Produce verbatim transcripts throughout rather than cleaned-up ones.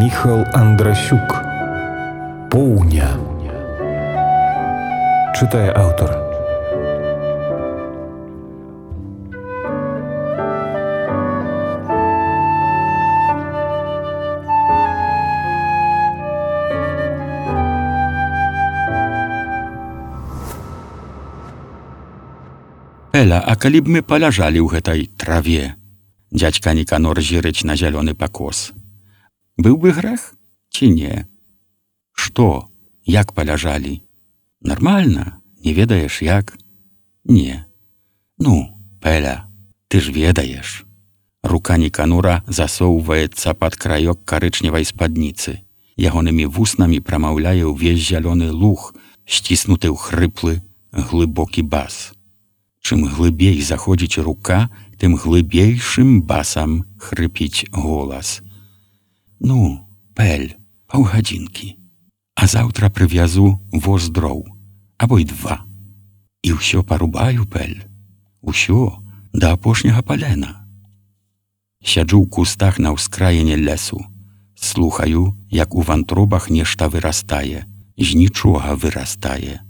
Міхал Андрасюк. Поўня. Чытае аўтар. Эля, а калі б мы паляжалі ў гэтай траве? Дзядзька Ніканор зірыць на зялёны пакос. Быў бы грэх ці не? Што? Як паляжалі? Нармальна? Не ведаеш як? Не. Ну, Пэля, ты ж ведаеш. Рука Ніканора засоўваецца пад краёк карычневай спадніцы. Ягонымі вуснамі прамаўляе ўвесь зялёны луг, сціснуты ў хрыплы, глыбокі бас. Чым глыбей заходзіць рука, тым глыбейшым басам хрыпіць голас. Ну, Пэль, паўгадзінкі. А заўтра прывязу воз дроў, або й два. І ўсё парубаю, Пэль. Усё, да апошняга палена. Сяджу ў кустах на ўскраіне лесу. Слухаю, як у вантробах нешта вырастае, з нічога вырастае.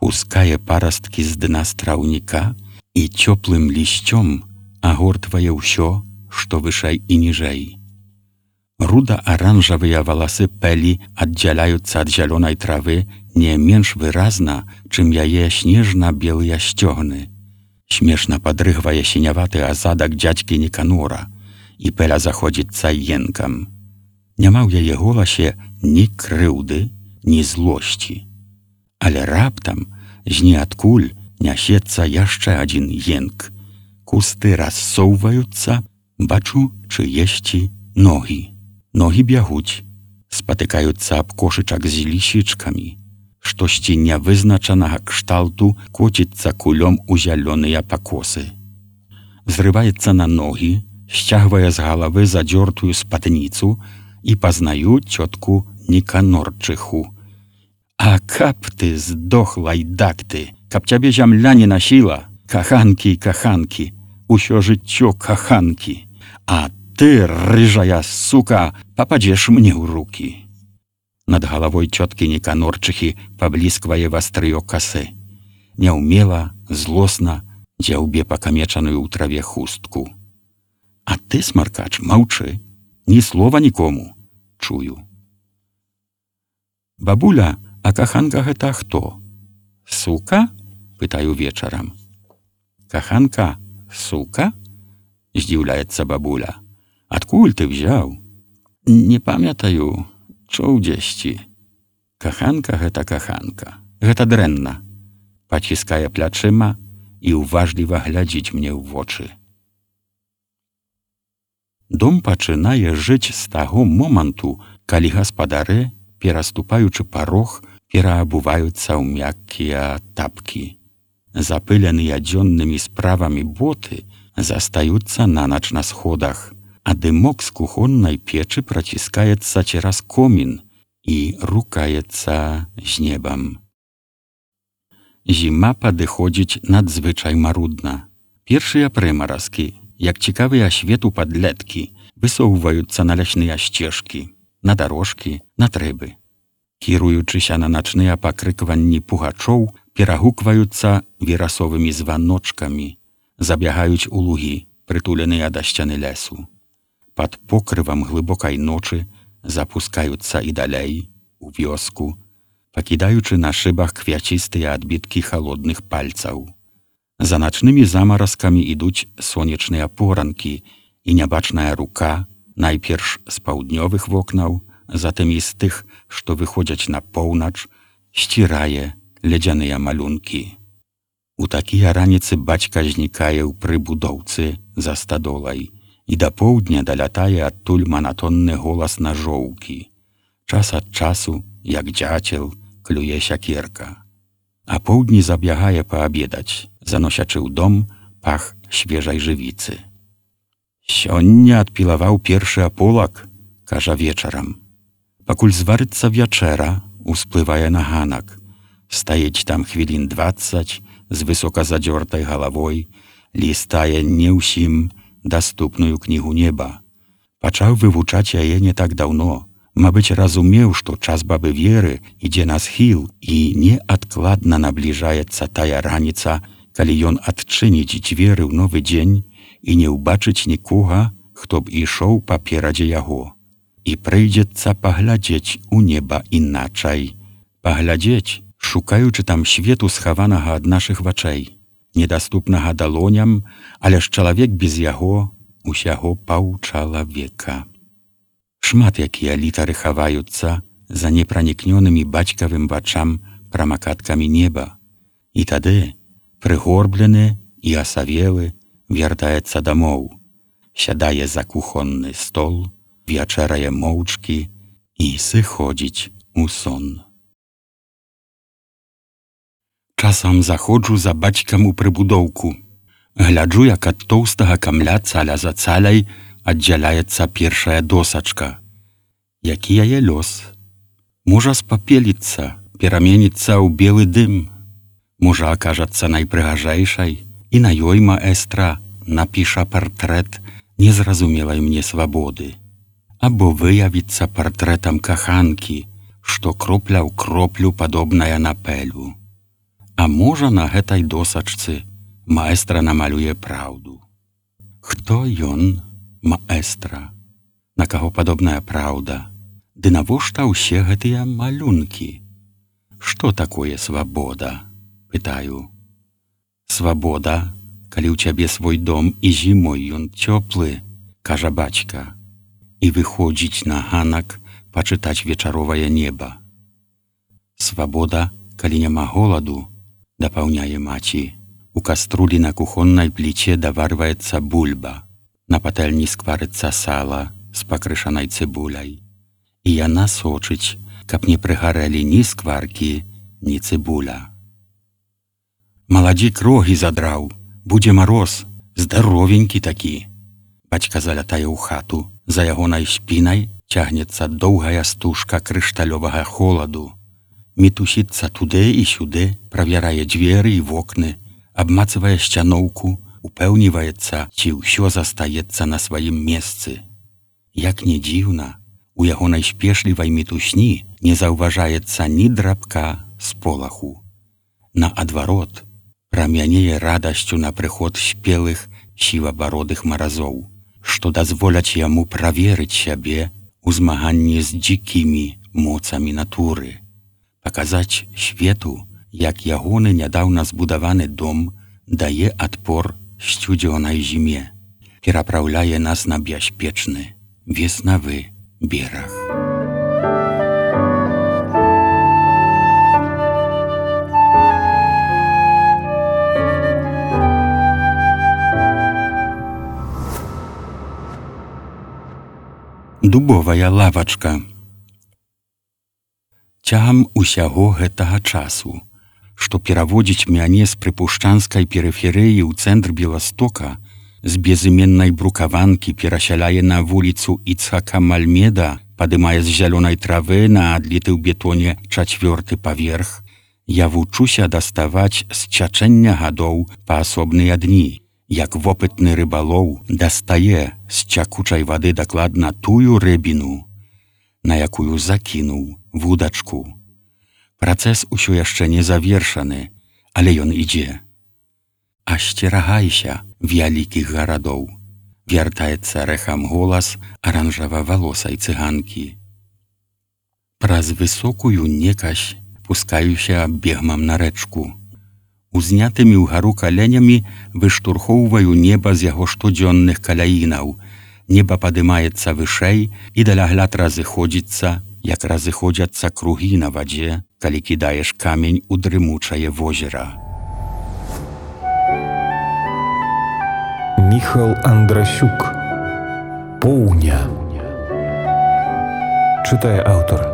Пускае парасткі з дна страўніка і цёплым лісцём агортвае ўсё, што вышэй і ніжэй. Руда-аранжавыя валасы Пэлі аддзяляюцца ад зялёнай травы не менш выразна, чым яе снежна-белыя сцёгны. Смешна падрыгвае сіняваты азадак дзядзькі Ніканора, і Пэля заходзіцца енкам. Няма ў яе голасе ні крыўды, ні злосці. Але раптам з ніадкуль нясецца яшчэ адзін енк. Кусты рассоўваюцца, бачу чыесьці ногі. Ногі бягуць, спатыкаюцца аб кошычак з лісічкамі. Штосьці нявызначанага кшталту коціцца кулём у зялёныя пакосы. Зрываецца на ногі, сцягвае з галавы задзёртую спадніцу і пазнаю цётку Ніканорчыху. А каб ты здох, лайдак ты, каб цябе зямля не насіла, каханкі і каханкі, усё жыццё каханкі, а ты, рыжая сука, пападзеш мне ў рукі. Над галавой цёткі Ніканорчыхі паблісквае вастрыё касы. Няўмела, злосна дзяўбе пакамечаную ў траве хустку. А ты, смаркач, маўчы, ні слова нікому, чую. Бабуля, а каханка гэта хто? Сука? Пытаю вечарам. Каханка, сука? Здзіўляецца бабуля. Адкуль ты взяў? Не памятаю, чуў дзесьці. Каханка гэта каханка. Гэта дрэнна. Паціскае плячыма і ўважліва глядзіць мне ў вочы. Дом пачынае жыць з таго моманту, калі гаспадары, пераступаючы парог, пераабуваюцца ў мяккія тапкі. Запыленыя дзённымі справамі боты застаюцца на нач на сходах, а дымок з кухоннай печы праціскаецца цераз комін і рукаецца з небам. Зіма падыходзіць надзвычай марудна. Першыя прымаразкі, як цікавыя свету падлеткі, высоўваюцца на лясныя сцежкі, на дарожкі, на трэбы. Кіруючыся на начныя пакрыкванні пугачоў, перагукваюцца верасовымі званочкамі, забягаюць у лугі, прытуленыя да сцяны лесу. Пад покрывам глыбокай ночы запускаюцца і далей, у вёску, пакідаючы на шыбах квяцістыя адбіткі халодных пальцаў. За начнымі замаразкамі ідуць сонечныя поранкі, і нябачная рука, найперш з паўднёвых вокнаў, затым і з тых, што выходзяць на поўнач, сцірае ледзяныя малюнкі. У такія раніцы бацька знікае ў прыбудоўцы за стадолай, і да поўдня далятае адтуль манатонны голас нажоўкі. Час ад часу, як дзяцел, клюе сякерка. А поўдні забягае паабедаць, заносячы ў дом пах свежай жывіцы. Сёння адпілаваў першы аполак, кажа вечарам. Пакуль зварыцца вячэра, усплывае на ганак. Стаіць там хвілін дваццаць з высока задзёртай галавой, лістае не ўсім даступную кнігу неба. Пачаў вывучаць яе не так даўно. Мабыць, разумеў, што час бабы Веры ідзе на схіл і неадкладна набліжаецца тая раніца, калі ён адчыніць дзверы ў новы дзень і не ўбачыць нікога, хто б ішоў паперадзе яго. І прыйдзецца паглядзець у неба іначай. Паглядзець, шукаючы там свету схаванага ад нашых вачэй, недаступнага далоням, але ж чалавек без яго усяго паўчалавека. Шмат якія літары хаваюцца за непранікнёнымі бацькавым вачам прамакаткамі неба. І тады, прыгорблены і асавелы, вяртаецца дамоў, сядае за кухонны стол, вячэрае моўчкі і сыходзіць у сон. Часам заходжу за бацькам у прыбудоўку. Гляджу, як ад тоўстага камля цаля за цаляй аддзяляецца першая досачка. Які яе лёс? Можа спапеліцца, пераменіцца ў белы дым. Можа акажацца найпрыгажэйшай, і на ёй маэстра напіша партрэт незразумелай мне свабоды. Або выявіцца партрэтам каханкі, што кропля ў кроплю падобная на пэлю. А можа, на гэтай досачцы маэстра намалюе праўду. Хто ён, маэстра? На каго падобная праўда? Ды навошта ўсе гэтыя малюнкі? Што такое свабода? Пытаю. Свабода, калі ў цябе свой дом і зімой ён цёплы, кажа бацька, і выходзіць на ганак пачытаць вечаровае неба. Свабода, калі няма голаду, дапаўняе маці. У каструлі на кухоннай пліце даварваецца бульба. На патэльні скварыцца сала з пакрышанай цыбуляй. І яна сочыць, каб не прыгарэлі ні скваркі, ні цыбуля. Маладзік рогі задраў, будзе мароз, здаровенькі такі. Бацька залятае ў хату, за ягонай спінай цягнецца доўгая стужка крышталёвага холаду. Мітусіцца туды і сюды, правярае дзверы і вокны, абмацвае сцяноўку, упэўніваецца, ці ўсё застаецца на сваім месцы. Як не дзіўна, у ягонай спешлівай мітусні не заўважаецца ні драбка з полаху. Наадварот, прамянее радасцю на прыход спелых сівабародых маразоў, што дазволяць яму праверыць сябе ў змаганні з дзікімі моцамі натуры. Паказаць свету, як ягоны нядаўна збудаваны дом дае адпор сцюдзёнай зіме, перапраўляе нас на бяспечны веснавы бераг. Дубовая лавачка. Цягам усяго гэтага часу, што пераводзіць мяне з прыпушчанскай перыферыі ў цэнтр Беластока, з безыменнай брукаванкі перасяляе на вуліцу Іцхака Мальмеда, падымае з зялёнай травы на адліты ў бетоне чацвёрты паверх, я вучуся даставаць з цячэння гадоў паасобныя дні, як вопытны рыбалоў дастае з цякучай вады дакладна тую рыбіну, на якую закінуў вудачку. Працэс усё яшчэ не завершаны, але ён ідзе. Асцерагайся вялікіх гарадоў, вяртаецца рэхам голас аранжава-валосай цыганкі. Праз высокую некась пускаюся бегмам на рэчку. Узнятымі ўгару каленямі выштурхоўваю неба з яго штодзённых каляінаў. Неба падымаецца вышэй і далягляд разыходзіцца, як разыходзяцца кругі на вадзе, калі кідаеш камень у дрымучае возера. Міхал Андрасюк. Поўня. Чытае аўтар.